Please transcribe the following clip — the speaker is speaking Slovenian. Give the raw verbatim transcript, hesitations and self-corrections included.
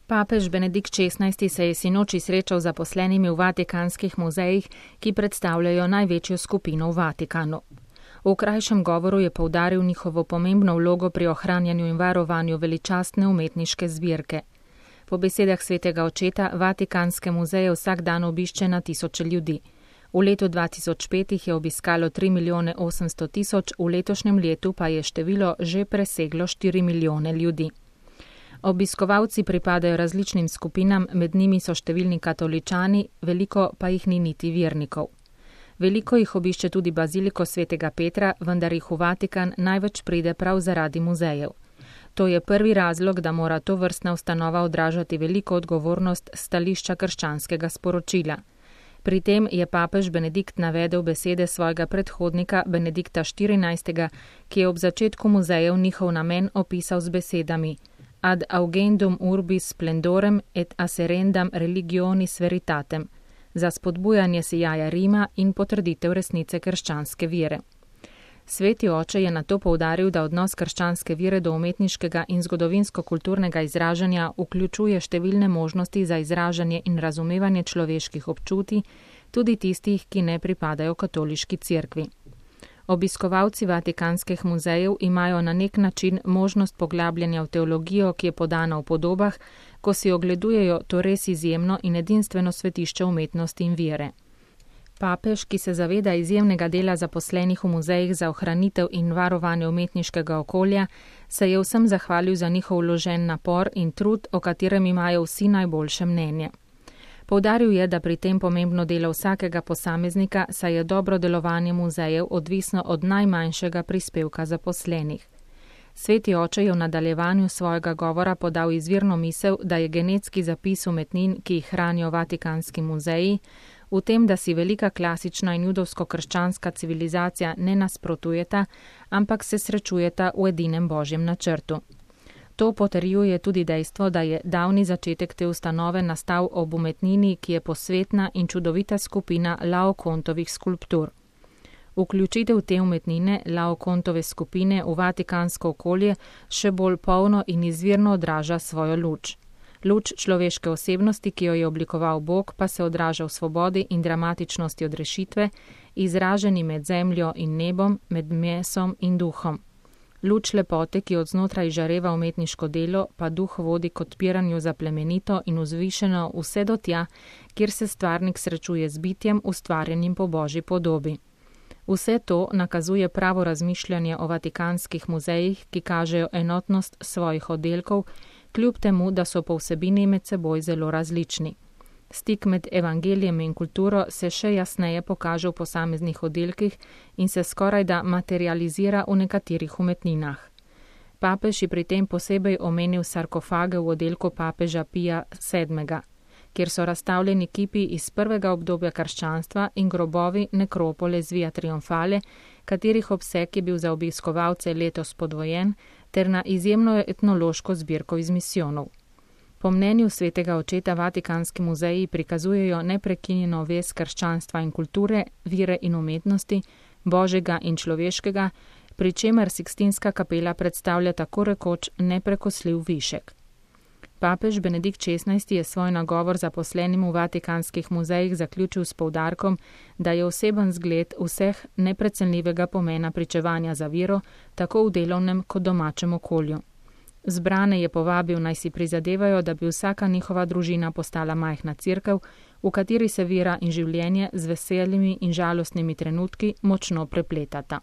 Papež Benedikt šestnajsti se je sinoči srečal z zaposlenimi v vatikanskih muzejih, ki predstavljajo največjo skupino v Vatikanu. V krajšem govoru je poudaril njihovo pomembno vlogo pri ohranjanju in varovanju veličastne umetniške zbirke. Po besedah svetega očeta vatikanske muzeje vsak dan obišče na tisoče ljudi. V letu dva tisoč pet jih je obiskalo tri milijone osemsto tisoč, v letošnjem letu pa je število že preseglo štiri milijone ljudi. Obiskovalci pripadajo različnim skupinam, med njimi so številni katoličani, veliko pa jih ni niti vernikov. Veliko jih obišče tudi baziliko svetega Petra, vendar jih v Vatikan največ pride prav zaradi muzejev. To je prvi razlog, da mora to vrstna ustanova odražati veliko odgovornost stališča krščanskega sporočila. Pri tem je papež Benedikt navedel besede svojega predhodnika Benedikta štirinajstega, ki je ob začetku muzejev njihov namen opisal z besedami ad augendum urbis splendorem et asserendam religionis veritatem, za spodbujanje sijaja Rima in potrditev resnice krščanske vere. Sveti oče je nato poudaril, da odnos krščanske vere do umetniškega in zgodovinsko-kulturnega izražanja vključuje številne možnosti za izražanje in razumevanje človeških občutij, tudi tistih, ki ne pripadajo katoliški cerkvi. Obiskovalci vatikanskih muzejev imajo na nek način možnost poglabljanja v teologijo, ki je podana v podobah, ko si ogledujejo to res izjemno in edinstveno svetišče umetnosti in vere. Papež, ki se zaveda izjemnega dela zaposlenih v muzejih za ohranitev in varovanje umetniškega okolja, se je vsem zahvalil za njihov vložen napor in trud, o katerem imajo vsi najboljše mnenje. Poudaril je, da pri tem pomembno delo vsakega posameznika, saj je dobro delovanje muzejev odvisno od najmanjšega prispevka zaposlenih. Sveti oče je v nadaljevanju svojega govora podal izvirno misel, da je genetski zapis umetnin, ki jih hranijo vatikanski muzeji, v tem, da si velika klasična in judovsko-krščanska civilizacija ne nasprotujeta, ampak se srečujeta v edinem božjem načrtu. To potrjuje tudi dejstvo, da je davni začetek te ustanove nastal ob umetnini, ki je posvetna in čudovita skupina Laokontovih skulptur. Vključitev te umetnine, Laokontove skupine, v vatikansko okolje še bolj polno in izvirno odraža svojo luč. Luč človeške osebnosti, ki jo je oblikoval Bog, pa se odraža v svobodi in dramatičnosti odrešitve, izraženi med zemljo in nebom, med mesom in duhom. Luč lepote, ki od znotraj žareva umetniško delo, pa duh vodi k odpiranju za plemenito in vzvišeno vse do tja, kjer se stvarnik srečuje z bitjem, ustvarjenim po božji podobi. Vse to nakazuje pravo razmišljanje o vatikanskih muzejih, ki kažejo enotnost svojih oddelkov, kljub temu, da so po vsebini med seboj zelo različni. Stik med evangelijem in kulturo se še jasneje pokaže v posameznih oddelkih in se skorajda materializira v nekaterih umetninah. Papež je pri tem posebej omenil sarkofage v oddelku papeža Pija sedmega, kjer so razstavljeni kipi iz prvega obdobja krščanstva in grobovi nekropole z Via Triomfale, katerih obseg je bil za obiskovalce letos podvojen, ter na izjemno etnološko zbirko iz misijonov. Po mnenju svetega očeta vatikanski muzeji prikazujejo neprekinjeno vez krščanstva in kulture, vire in umetnosti, božjega in človeškega, pri čemer Sikstinska kapela predstavlja tako rekoč neprekosljiv višek. Papež Benedikt šestnajsti je svoj nagovor zaposlenim v vatikanskih muzejih zaključil s poudarkom, da je oseben zgled vseh neprecenljivega pomena pričevanja za vero, tako v delovnem kot domačem okolju. Zbrane je povabil, naj si prizadevajo, da bi vsaka njihova družina postala majhna cerkev, v kateri se vera in življenje z veselimi in žalostnimi trenutki močno prepletata.